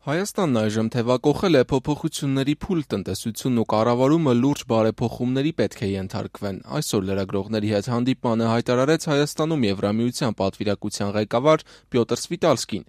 Հայաստանն այժմ թևակոխել է փոփոխությունների փուլ, տնտեսությունն ու կառավարումը լուրջ բարեփոխումների պետք է ենթարկվեն։ Այսօր լրագրողների հետ հանդիպմանը հայտարարեց Հայաստանում Եվրամիության պատվիրակության ղեկավար Պյոտր Սվիտալսկին,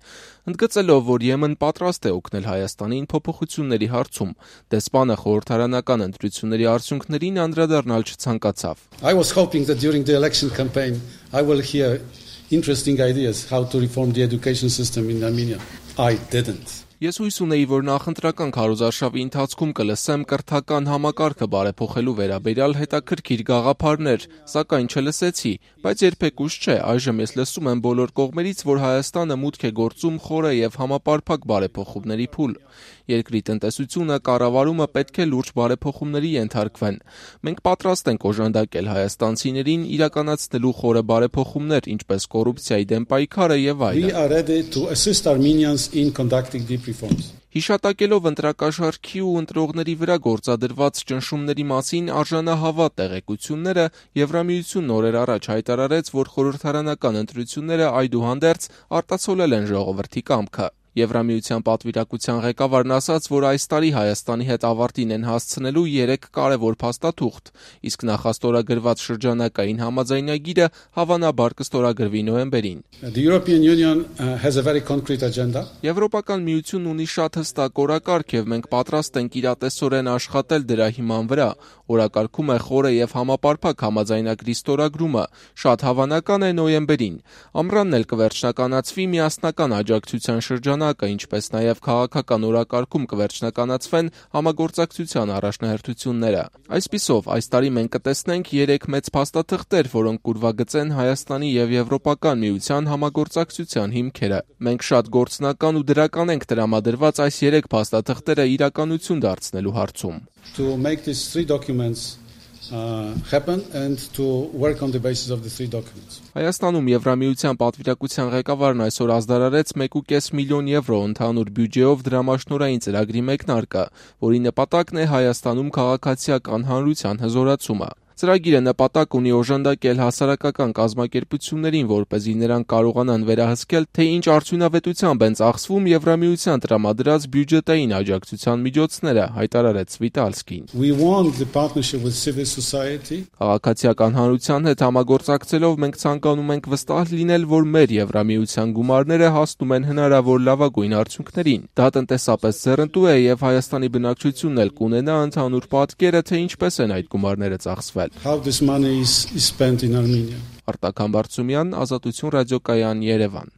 ընդգծելով, որ Եմեն պատրաստ է օգնել Հայաստանին փոփոխությունների հարցում։ Դեսպանը խորհրդարանական ընտրությունների արդյունքներին անդրադառնալ չցանկացավ. I was hoping that during the election campaign I will hear interesting ideas how to reform the education system in Armenia. I didn't. Ես հույս ունեի, որ նախընտրական քարոզարշավի ընթացքում կլսեմ կրթական համակարգը բարեփոխելու վերաբերյալ հետաքրքիր գաղափարներ, սակայն չլսեցի, բայց երբեք ուշ չէ, այժմ ես լսում եմ բոլոր կողմերից, որ Հայաստանը մուտք է գործում խորը եւ համապարփակ բարեփոխումների փուլ։ Երկրի տնտեսությունը, կառավարումը պետք է լուրջ բարեփոխումների ենթարկվեն։ Մենք պատրաստ ենք օժանդակել հայաստանցիներին իրականացնելու խորը բարեփոխումներ, ինչպես կոռուպցիայի դեմ պայքարը եւ այլն։ We are ready to assist Armenians in conducting deep reforms. Հիշատակելով ընտրակաշառքի ու ընտրողների վրա գործադրված ճնշումների մասին արժանահավատ տեղեկությունները, Եվրամիությունն օրեր առաջ հայտարարեց, որ խորհրդարանական ընտրությունները այդուհանդերձ արտացոլել են ժողովրդի կամքը։ Եվրամիության պատվիրակության ղեկավարն ասաց, որ այս տարի Հայաստանի հետ ավարտին են հասցնելու 3 կարևոր փաստաթուղթ, իսկ նախաստորագրված շրջանակային համաձայնագիրը հավանաբար կստորագրվի նոյեմբերին։ The European Union has a very concrete agenda. Եվրոպական միությունն ունի շատ հստակ օրակարգ եւ մենք պատրաստ ենք իրատեսորեն աշխատել դրա հիման վրա։ Օրակարգում է խորը եւ համապարփակ համաձայնագրի ստորագրումը, շատ հավանական է նոյեմբերին։ Ամռանն էլ կվերջնականացվի միասնական աջակցության շրջանակը, ինչպես նաեւ քաղաքական օրակարգում կվերջնականացվեն համագործակցության առաջնահերթությունները։ Այսպիսով, այս տարի մենք կտեսնենք 3 մեծ փաստաթղթեր, որոնք կուրվագծեն Հայաստանի եւ Եվրոպական միության համագործակցության հիմքերը։ Մենք շատ գործնական ու դրական ենք տրամադրված այս 3 փաստաթղթերը իրականություն դարձնելու հարցում։ To make these 3 documents happen and to work on the basis of the 3 documents. Հայաստանում Եվրամիության պատվիրակության ղեկավարն այսօր ազդարարեց 1.5 միլիոն եվրո ընդհանուր բյուջեով դրամաշնորհային ծրագրի մեկնարկը, որի նպատակն է Հայաստանում քաղաքացիական հանրության հզորացումը։ Ծրագիրը նպատակ ունի օժանդակել հասարակական կազմակերպություններին, որպեսզի նրանք կարողանան վերահսկել, թե ինչ արդյունավետությամբ են ծախսվում Եվրամիության տրամադրած բյուջետային աջակցության միջոցները, հայտարարեց Սվիտալսկին։ We want the partnership with civil society. Քաղաքացիական հանրության հետ համագործակցելով մենք ցանկանում ենք վստահ լինել, որ մեր Եվրամիության գումարները հասնում են հնարավոր լավագույն արդյունքներին։ Դա տնտեսապես ձեռնտու է եւ Հայաստանի բնակչությունն էլ կունենա ընդհանուր պատկերը, թե ինչպես են այդ գումարները ծախսվել։ How this money is spent in Armenia. Արտակ Համբարձումյան, Ազատություն ռադիոկայան, Երևան։